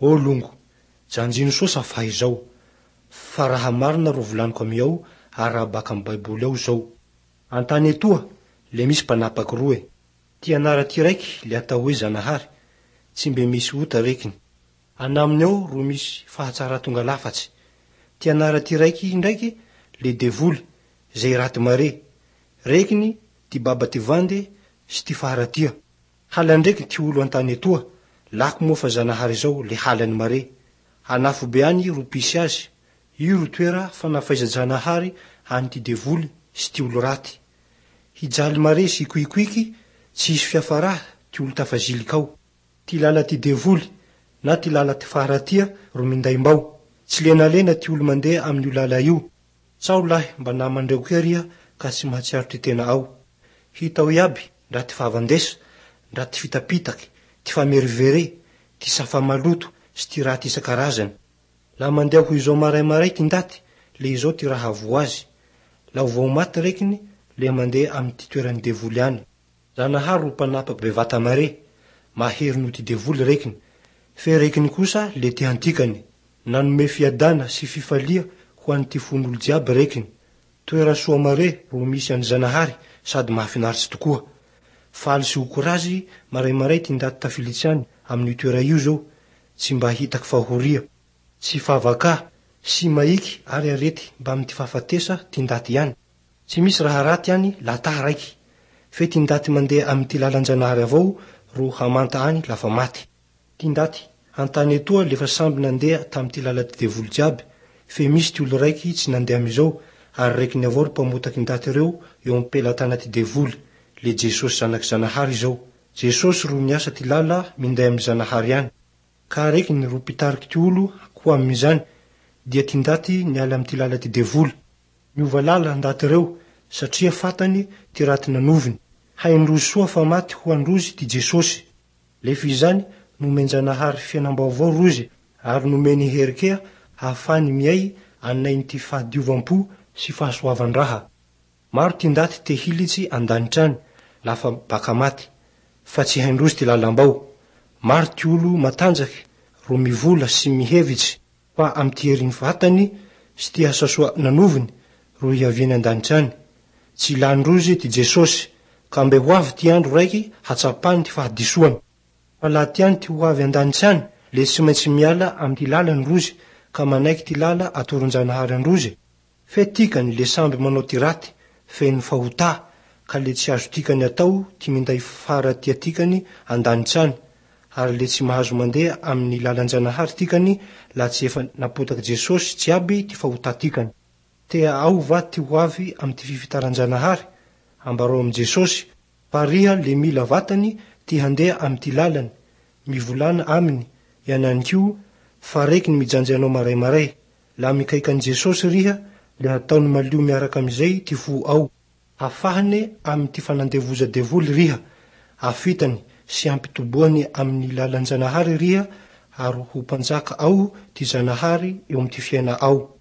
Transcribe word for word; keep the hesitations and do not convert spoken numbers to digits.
Ô longo, janjino soa safa izao, fa raha marina ro volaniko amiao ary raha baka amy Baiboly ao zao. An-tany etoa, le misy mpanapaky roe. Ty anara ty raiky le atao hoe Zanahary, tsy mbe misy ota rekiny. Anaminy ao ro misy fahatsara tonga lafatsy. Ty anara ty raiky ndraiky le devoly, zay raty mare. Rekiny ty baba ty vande sy ty faharatia. Halan-dreky ty olo an-tany etoa, lako moa fa Zanahary zao le halany mare. An'afobe any ro pisy azy, io ro toera fanafaiza-janahary any ty devoly sy ty olo raty. Hijaly mare sy hikoikoiky, tsy hisy fiafaraha ty olo tafaziliky ao. Ty lala ty devoly na ty lala ty faharatia ro minday mbao. Tsy lenalena ty olo mandeha amin'io lala io. Tsao lahy mba namandreo kea riha ka tsy mahatsiaro ty tena ao. Hitao iaby ndra ty fahavandesa, ndra ty fitapitaky, ty famerivere, ty safa maloto sy ty raty isan-karazany. Laha mandeha ho izao maray-maray ty ndaty, le izao ty raha havoa azy. Laha vao maty rekiny, le mandeha amy ty toeran'ny devoly any. Zanahary ro mpanapaky bevata mare, mahery noho ty devoly rekiny. Fe rekiny kosa le ty antikany. Nanome fiadana sy fifalia ho an'ny ty fon'olo jiaby rekiny. Toera soa mare ro misy an'i Zanahary sady mahafinaritsy tokoa. Faly sy ho korazy maray-maray ty ndaty tafilitsy any amin'io toera io zao, tsy mba hitaky fahoria, tsy favaka, sy maiky ary arety mba amy ty fahafatesa ty ndaty ihany. Tsy misy raha raty any laha raiky. Fe ty ndaty mandeha amy ty lalan-janahary avao ro hamanta any lafa maty. Ty ndaty an-tany etoa lefa samby nandeha tamy ty lala ty devoly jiaby, fe misy ty olo raiky tsy nandeha amizao, ary rekiny avao ro mpamotaky ndaty reo eo am-pelatana ty devoly, le Jesosy zanaky Zanahary izao. Jesosy ro niasa ty lala minday amy Zanahary any. Ka rekiny ro mpitariky ty olo ho amizany, dia ty ndaty niala amy ty lala ty devoly. Niova lala ndaty reo, satria fatany ty raty nanoviny. Haindrozy soa fa maty ho androzy ty Jesosy. Lefa izany nomen-janahary fiainam-baovao rozy, ary nomeny hery kea ahafahany miay anainy ty fahadiovam-po sy fahasoavan-draha. Maro ty ndaty te hilitsy an-danitra any lafa baka maty, fa tsy haindrozy ty lalam-bao. Maro ty olo matanjaky ro mivola sy mihevitsy fa amy ty herin'ny vatany sy ty asa soa nanoviny ro hiaviany an-danitra any. Tsy ilan-drozy ty Jesosy, ka mbe ho avy ty andro raiky hatsapany ty fahadisoany. Fa laha tiany ty ho avy an-danitra any, le tsy maintsy miala amy ty lalany rozy, ka manaiky ty lala atoron-janahary androzy. Fe tikany le samby manao ty raty, feno fahotà, ka le tsy azo tikany atao ty minday faharatia tikany an-danitra any, ary le tsy mahazo mandeha amin'ny lalan-janahary tikany laha tsy efa napotaky Jesosy jiaby ty fahotà tikany. Tea ao va ty ho avy amy ty fifitaran-janahary? Ambarao amy Jesosy, fa riha le mila vatany ty handeha amy ty lalany, mivolana aminy, iananikio, fa rekiny mijanjy anao maray-maray. Laha mikaiky an'i Jesosy riha, le hataony malio miaraka amizay ty fo ao. Hafahane amy ty fanandevoza devoly riha, afitany sy ampitoboany amin'ny lalan-janahary riha, ary ho mpanjaka ao ty Zanahary eo amy ty fiaina ao.